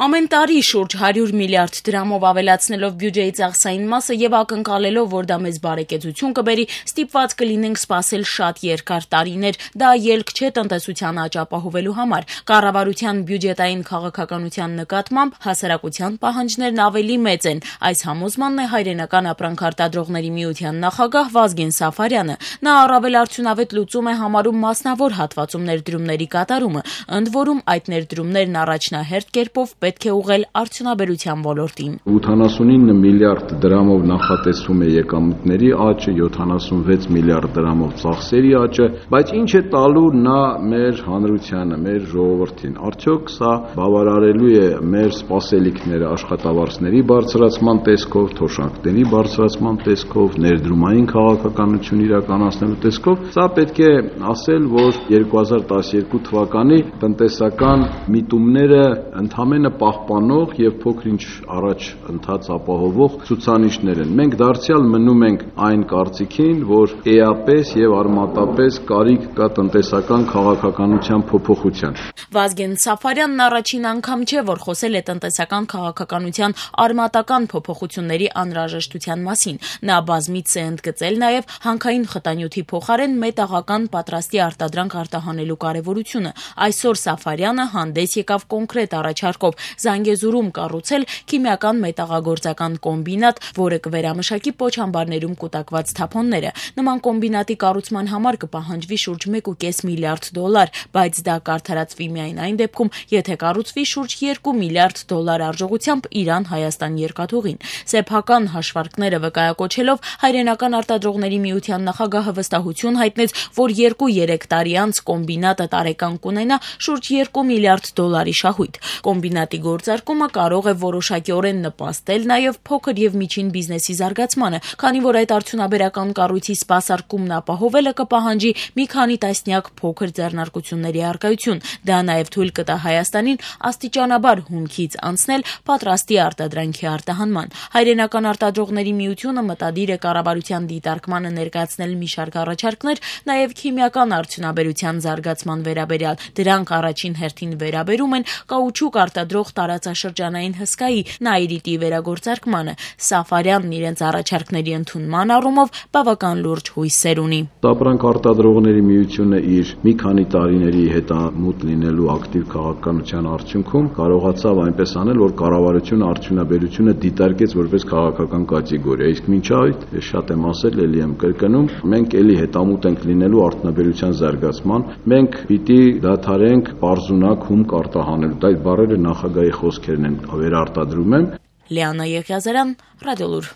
Ամեն տարի շուրջ 100 միլիարդ դրամով ավելացնելով բյուջեի ծախսային մասը եւ ակնկալելով, որ դա մեզ բարեկեցություն կբերի, ստիպված կլինենք սպասել շատ երկար տարիներ։ Դա ելք չէ տնտեսության աճ ապահովելու համար։ Կառավարության բյուջետային քաղաքականության նկատմամբ հասարակության պահանջներն ավելի մեծ են։ Այս համոզմանն է Հայրենական ապրանքարտադրողների միության նախագահ Վազգեն Սաֆարյանը։ Նա առավել արդյունավետ լուծում է համարում մասնավոր հատվածում ներդրումների կատարումը, ընդ որում այդ ներդրումներն առաջնահերթ կերպով պետք է ուղղել արդյունաբերության ոլորտին։ 89 միլիարդ դրամով նախատեսվում է եկամուտների աճը, 76 միլիարդ դրամով ծախսերի աճը, բայց ինչ է տալու նա մեր հանրությանը, մեր ժողովրդին։ Արդյոք սա բավարարելու է մեր սպասելիքները աշխատավարձների բարձրացման տեսքով, թոշակների բարձրացման տեսքով, ներդրումային քաղաքականություն իրականացնելու տեսքով։ Սա պետք է ասել, որ 2012 թվականի տնտեսական միտումները ընդհանրապես պահպանող եւ փոքր-ինչ առաջ ընթաց ապահովող ցուցանիշներ են։ Մենք դարձյալ մնում ենք այն կարծիքին, որ էապես եւ արմատապես կարիք կա տնտեսական քաղաքականության փոփոխության։ Վազգեն Սաֆարյանն առաջին անգամ չէ, որ խոսել է տնտեսական քաղաքականության արմատական փոփոխությունների անհրաժեշտության մասին։ Նա բազմիցս է ընդգծել նաեւ հանքային խտանյութի փոխարեն մետաղական պատրաստի արտադրանք արտահանելու կարեւորությունը։ Այսօր Սաֆարյանը հանդես եկավ կոնկրետ առաջարկով Զանգեզուրում կառուցել քիմիական մետաղագործական կոմբինատ, որը կվերամշակի պոչամբարներում կուտակված թափոնները։ Նման կոմբինատի կառուցման համար կպահանջվի շուրջ 1.5 միլիարդ դոլար, բայց դա կարդարացվի միայն այն դեպքում, եթե կառուցվի շուրջ 2 միլիարդ դոլար արժողությամբ Իրան-Հայաստան երկաթուղին։ Սեփական հաշվարկները վկայակոչելով Հայրենական արտադրողների միության նախագահը վստահություն հայտնեց, որ 2-3 տարի անց կոմբինատը տարեկան կունենա շուրջ 2 միլիարդ դոլարի շահույթ։ Կոմբինատի գործարկումը կարող է որոշակիորեն նպաստել նաև փոքր եւ միջին բիզնեսի զարգացմանը, քանի որ այդ արդյունաբերական կառույցի սպասարկումն ապահովելը կպահանջի մի քանի տասնյակ փոքր ձեռնարկությունների առկայություն։ Դա նաև թույլ կտա Հայաստանին աստիճանաբար հումքից անցնել պատրաստի արտադրանքի արտահանման։ Հայրենական արտադրողների միությունը մտադիր է կառավարության դիտարկմանը ներկայացնել մի շարք առաջարկներ, նաև քիմիական արդյունաբերության զարգացման վերաբերյալ։ Դրանք առաջին հերթին վերաբերում են կաուչուկ արտադրող տարածաշրջանային հսկայի Նայրիտի վերագործարկմանը։ Սաֆարյանն իրենց առաջարկների ընդունման առումով բավական լուրջ հույսեր ունի։ Ապրանք արտադրողների միությունը իր մի քանի տարիների հետամուտ լինելու ակտիվ քաղաքականության արդյունքում կարողացավ այնպես անել, որ կառավարությունը արդյունաբերությունը դիտարկեց որպես քաղաքական կատեգորիա։ Իսկ մինչ այդ, շատ եմ ասել, ելի եմ կրկնում, մենք ելի հետամուտ ենք լինելու արդյունաբերության զարգացման։ Մենք պիտի դադարենք պարզունակ հումք արտահանելու։ Այդ բառերը նախագահի խոսքերն են, վերարտադրում եմ։ Լիանա Եղիազարյան, Ռադիոլուր։